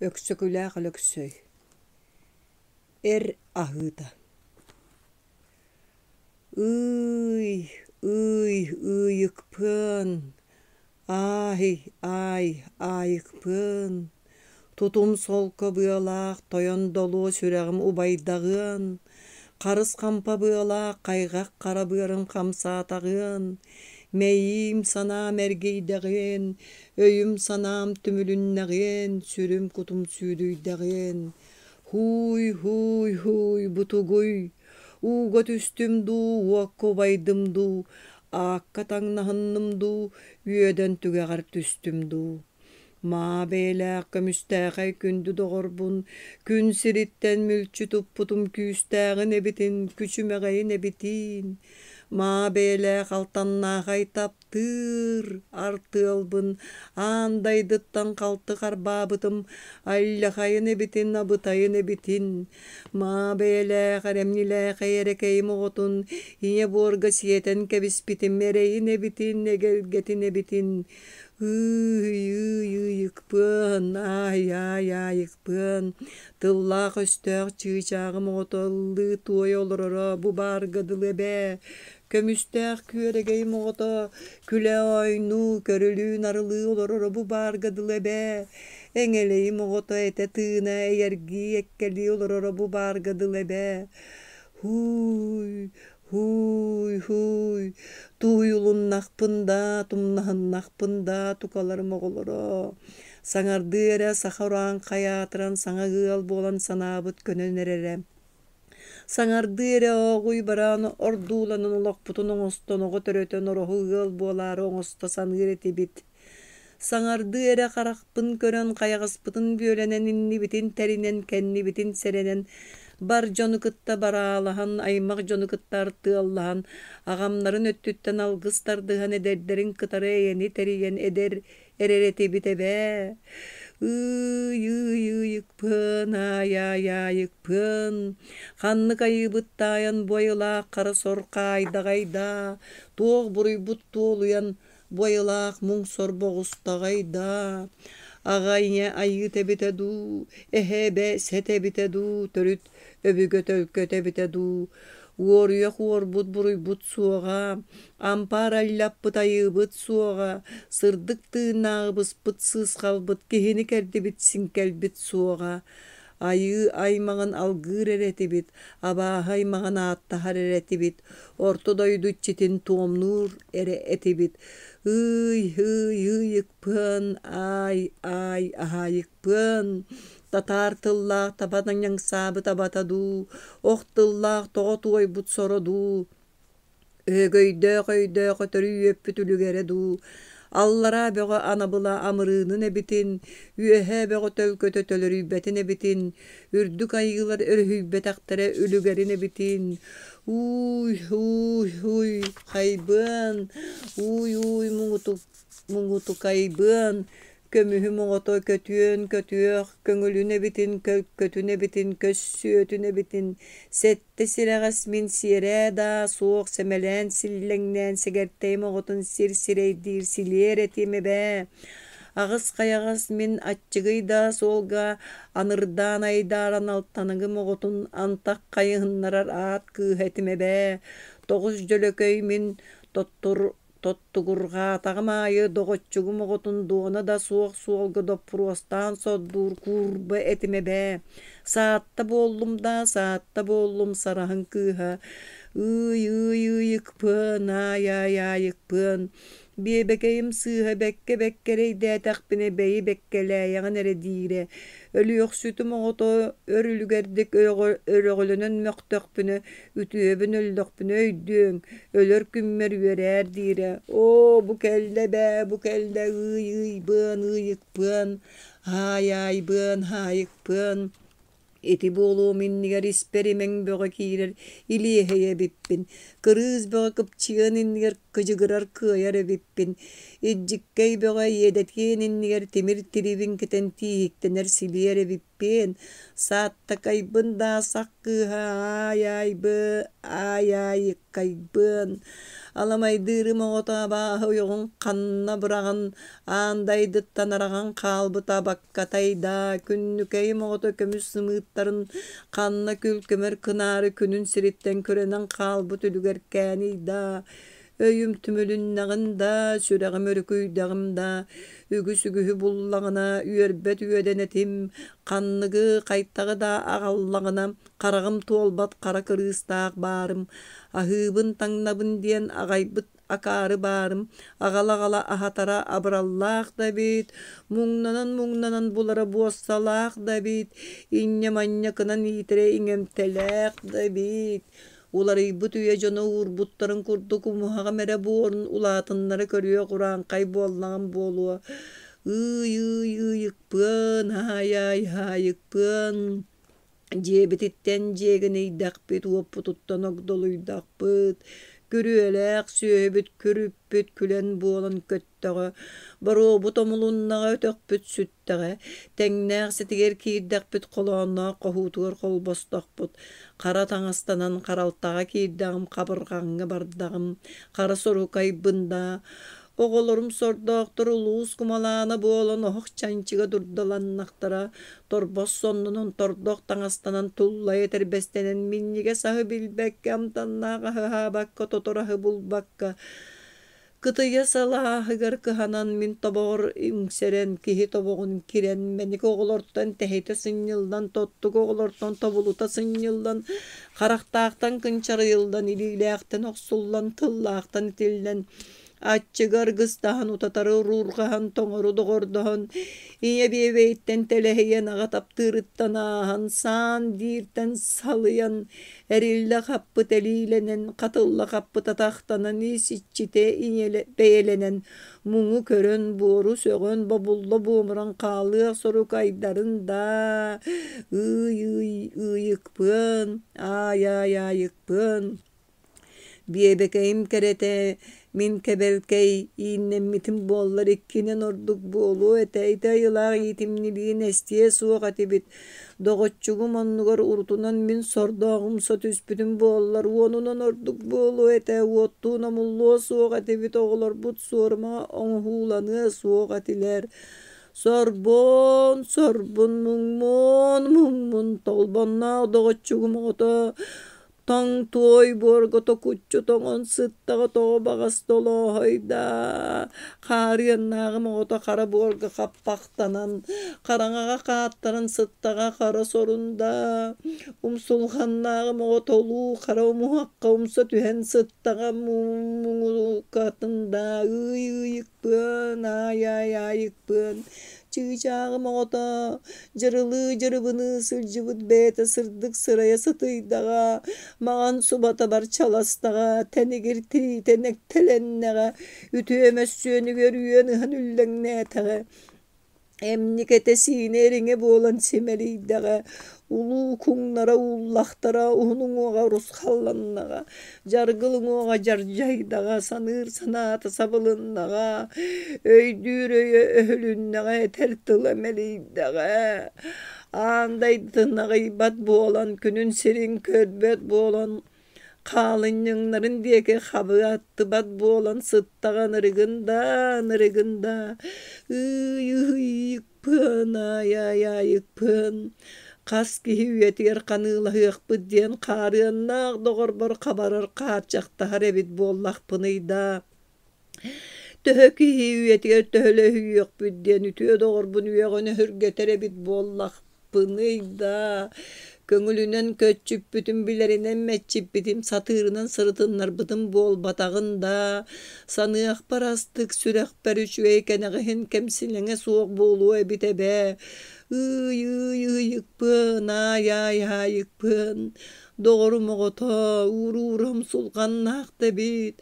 Өксөкүлээх Өлөксөй Эр аһыыта Ыый, ыый, ыйыкпыан, аай, аай, аайыкпыан, тутум солко быалаах тойон долуо сүрэҕим убайдаҕыан, харыс хампа быалаах хайҕах хара быарым хамсаатаҕыан, мэйиим санаам эргийдэҕиэн, өйүм-санаам түмүлүннэҕиэн, сүрүм-кутум сүүдүйдэҕиэн. Һууй, һууй, һууй, бу тугуй? Ууга түстүм дуу, уокка убайдым дуу, аакка таҥнаһынным дуу, үөдэн түгэҕэр түстүм дуу? Маа бэйэлээх көмүстээхэй күндү доҕорбун, күн сириттэн мүлчү туппутум күүстээҕин эбитин, күчүмэҕэйин эбитиин. Маа бэйэлээх алтаннаахай таптыыр артыалбын аан дайдыттан халты харбаабытым алльахайын эбитин, абытайын эбитин. Маа бэйэлээх эрэмньилээхэй эрэкэйим оҕотун ийэ буорга сиэтэн кэбиспитим эрэйин эбитин, эгэлгэтин эбитин. Ыый-ыый-ыйыкпыан, аай-аай-аайыкпыан, тыллаах-өстөөх чыычааҕым оҕото ыллыы-туойа олороро бу баарга дылы эбээ. Көмүстээх күөрэгэйим оҕото күлэ-оонньуу, көрүлүү-нарылыы олороро бу баарга дылы эбээ. Эҥэлэйим оҕото этэ-тыына эйэргии эккэлии олороро бу баарга дылы эбээ. Һууй, Һууй-һууй, тууйулуннахпын даа, тумнаһыннахпын даа, тукаларым оҕолоро, саҥардыы эрэ саха урааҥхай аатыран саҥа ыал буолан санаабыт көнөн эрэрэ. Саҥардыы эрэ ооҕуй бараан ордууланан олохпутун оҥостон оҕо төрөтөн ороһу ыал буолаары оҥосто саныыр этибит. Саҥардыы эрэ харахпын көрөн хайаҕаспытын бүөлэнэн иннибитин тэринэн, кэннибитин сэрэнэн, бар дьону кытта бараалаһан, аймах дьону кытта артыаллаһан, аҕамнарын өттүттэн алгыс тардыһан эдэрдэрин кытары эйэни тэрийэн эдэр эрэр этибит эбээ. Ыый-ыый-ыйыкпын, аай-аай-аайыкпын, ханнык айыыбыт таайан бу айылаах хара сор хаайдаҕай даа, туох буруйбут туолуйан бу айылаах муҥ сорбоҕустаҕай даа, аҕа ийэ айыыта эбитэ дуу, эһэ эбэ сэтэ эбитэ дуу, төрүт өбүгэ төлкөтө эбитэ дуу, уоруйах уорбут буруйбут суоҕа, ампаар аллаппыт айыыбыт суоҕа, сырдык тыыннааҕы быспыт сыысхалбыт киһини кэрдибит сиҥкэлбит суоҕа, Айыы аймаҕын алгыыр эрэ этибит, абааһы аймаҕын ааттаһар эрэ этибит, орто дойду иччитин туомнуур эрэ этибит. Ыый, ыый, ыйыкпыан, аай, аай, аһаайыкпыан, татаар тыллаах таба ньаҥсаабыт абата дуу, ох тыллаах тоҕо туойбут соро дуу, Өһөгөйдөөх өйдөөх өтөрү үөппүт үлүгэрэ дуу, аллараа бөҕө анабыла амырыынын эбитин, үөһээ бөҕө төлкөтө төлөрүйбэтин эбитин, үрдүк айыылар өрүһүйбэтэхтэрэ үлүгэрин эбитин, ууй, ууй, ууй, хайбыан, ууй, ууй, муҥутук, муҥутукайбыан, Көмүһүм оҕото көтүөн көтүөх, көҥүлүн эбитин, көлкөтүн эбитин, көссүөтүн эбитин, сэттэ сирэҕэс мин сиэрээ даа суох сэмэлээн силлэҥнээн сэгэртэйим оҕотун сир сирэйдиир силиэр этим эбээ. Аҕыс хайаҕас мин аччыгый даа суолга анырдаан айдааран алтаныгым оҕотун антах хайыһыннарар аат кыыһа этим эбээ. Тоҕус дьөлөкөй мин тоттур Тоттугурҕаатаҕым аайы доҕоччугум оҕотун дуона да суох суолга доппуруостаан сордуур куурба этим эбээ. Саатта буоллум даа, саатта буоллум сараһын кыыһа. Ыый-ыый-ыйыкпыан, аай-аай-аайыкпыан. Биэбэкэйим сыыһа бэккэ-бэккэ эрэйдээтэхпинэ бэйи бэккэлээйэҕин эрэ диирэ. Өлүөхсүтүм оҕото өр үлүгэрдик өрөҕөлөнөн мөхтөхпүнэ үтүөбүн өллөхпүнэ өйдүөҥ, өлөр күммэр үөрээр диирэ. Оо, бу кэллэ эбээ, бу кэллэ ыый-ыйбыан, ыйыкпыан, аай-аайбыан, аайыкпыан. Ити буолуом иннигэр испэр имэҥ бөҕө киирэр илиэһэй эбиппин. Кырыыс бөҕө кыпчыан иннигэр Кыдьыгырар кыайар эбиппин. Илдьиккэй бөҕө иэдэтиэн иннигэр тимир тирибин кэтэн тииһиктэнэр силиэр эбиппиэн. Сааттакайбын даа сах кыыһа аай-аайбы, аай-аайыккайбыан. Аламайдыырым оҕото абааһы ойоҕун ханна быраҕан аан дайдыттан араҕан хаалбыта абаккатай даа, күннүкэйим оҕото көмүс сымыыттарын ханна күл-көмөр кынаары күнүн сириттэн күрэнэн хаалбыт үлүгэркээний даа, өйүм түмүлүннэҕин даа, сүрэҕим өрүкүйдэҕим даа, үгүс үгүһү буллаҕына үөрбэт үөдэн этим, ханныгы хайтаҕы да аҕаллаҕына хараҕым туолбат хара кырыыстаах баарым, аһыыбын таҥнабын диэн аҕайбыт акаары баарым, аҕала-аҕала аһатара абыраллаах да эбит, муҥнанан-муҥнанан булара буоссалаах да эбит, инньэ-манньа кынан иитэрэ иҥэмтэлээх да эбит. Уларыйбыт үйэ дьоно уурбуттарын курдук умуһаҕым эрэ буорун улаатыннара көрүөх урааҥхай буоллаҕым буолуо. Ыый-ыый ыйыкпыан, аай-аай аайыкпыан. Дьиэбититтэн дьиэгинийдэхпит, уоппутуттан огдолуйдахпыт, күрүөлээх сүөһүбүт күрүппүт күлэн буолан көттөҕө, боруобут омулуннаҕа өтөхпүт сүттэҕэ, тэҥнээх ситигэр киирдэхпит холоонноох хоһуутугар холбостохпут, хара таҥастанан харалтаҕа киирдэҕим, хабырҕаҥҥа бардаҕым, хара сурукайбын даа, Оҕолорум сордоохтор улуус кумалаана буолан оһох чанчыга дурдаланнахтара, торбос соннунан тордох таҥастанан туллайа этэрбэстэнэн минньигэс аһы билбэккэ, амтаннаах аһы аһаабакка, тотор аһы булбакка, кытыйа салааһыгар кыһанан мин тобоҕор үҥсэрэн, киһи тобоҕун кирэн, мэник оҕолортон тэһитэ сынньыллан, тоттук оҕолортон тобулута сынньыллан, харахтаахтан кынчарыйыллан, илиилээхтэн охсуллан, тыллаахтан итиллэн, Аччыгы аргыстаһан, утатары уруурҕаһан, тоҥору доҕордоһон, ийэ биэбэйиттэн тэлэһийэн, аҕа таптыырыттан ааһан, саан дииртэн салыйан, эриллэ хаппыт элиилэнэн, хатылла хаппыт атахтанан, ис иччитэ бэйэлэнэн, муҥу көрөн, буору сөҕөн, бобулла буомуран хаалыах сорук айдарын даа, ыый-ыый ыйыкпыан, аай-аай аайыкпыан. Биэбэкэйим кэрэтэ, мин кэбэлкэй ииннэммитим буоллар иккинэн ордук буолуо этэ, ити айылаах иитимньилиин эстиэ суох этибит. Доҕоччугум оннугар урутунан мин сордоох умса түспүтүм буоллар уонунан ордук буолуо этэ, уоттуун омуллуо суох этибит, оҕолорбут суорума оҥоһууланыа суох этилэр. Сорбон, сорбун, муҥмун, муҥмун, толбонноох доҕоччугум оҕото Тоҥ туой буорга токуччу тоҥон сыттаҕа тоҕо баҕас толооһойдаа, хаарыаннааҕым оҕото хара буорга хаппахтанан, хараҥаҕа хааттаран сыттаҕа хара сорунда, умсулҕаннааҕым оҕото улуу хара умуһахха умса түһэн сыттаҕа муҥукатын даа ыый-ыйыкпыан, аай-аай-аайыкпыан Чыычааҕым оҕото дьырылыы-дьырыбыныы сылдьыбыт бэйэтэ сырдык сырайа сытыйдаҕа, маҥан субата барчаластаҕа, тэнигир тириитэ нэктэлэннэҕэ, үтүө мөссүөнүгэр үөн ыһан үллэҥнээтэҕэ, эмньик этэ-сиинэ эриҥэ буолан симэлийдэҕэ, улуу куҥнара ууллахтара, уһун уҥуоҕа урусхалланнаҕа, Дьаргыл уҥуоҕа дьардьайдаҕа, саныыр санаата сабылыннаҕа, өйдүүр өйө өһүлүннэҕэ, этэр тыла мэлийдэҕэ. Аан дайдытын аҕыйбат буолан, күнүн сирин көрбөт буолан, хаалынньаҥнарын диэки хабыаттыбат буолан сыттаҕа ынырыгын да, ынырыгын да, ыый-ыый Пыан, аай-аай-аайыкпыан, хас киһи үйэтигэр ханыылаһыахпыт диэн хаарыаннаах доҕорбор хабарар хаарчахтаһар эбит буоллахпыный даа. Төһө киһи үйэтигэр төһөлөһүйүөхпүт диэн үтүө доҕорбун үөҕэн өһүргэтэр эбит буоллахпыный даа. Көҥүлүнэн көччүппүтүм, билэринэн мэччиппитим, сатыырынан сырытыннарбытым буолбатаҕын даа, саныахпар астык, сүрэхпэр үчүгэй кэнэҕэһин кэмсилэҥэ суох буолуо эбит эбээ. Ыый-ыый ыйыкпын, аай-аай аайыкпын, доҕорум оҕото, ууруурам сулҕаннаах да эбит,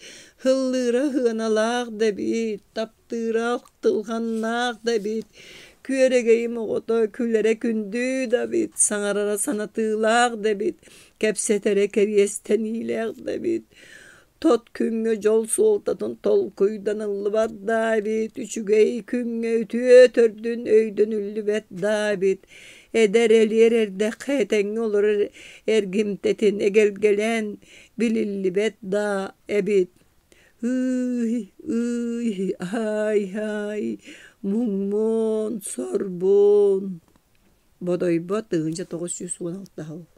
һыллыыра сыаналаах да эбит, таптыыра ахтылҕаннаах да эбит, күөрэгэйим оҕото күлэрэ күндү да эбит, саҥарара санатыылаах да эбит, кэпсэтэрэ кэриэстэниилээх да эбит. Тот күҥҥэ дьол суолтатын толкуйданыллыбат да эбит, үчүгэй күҥҥэ үтүө төрдүн өйдөнүллүбэт да эбит. Эдэр элиэр эрдэххэ этэҥҥэ олорор эргимтэтин эгэлгэлээн билиллибэт да эбит. Ый, ый, ай-ай, муҥмун, сорбун. Бодойбо 1916 сыл.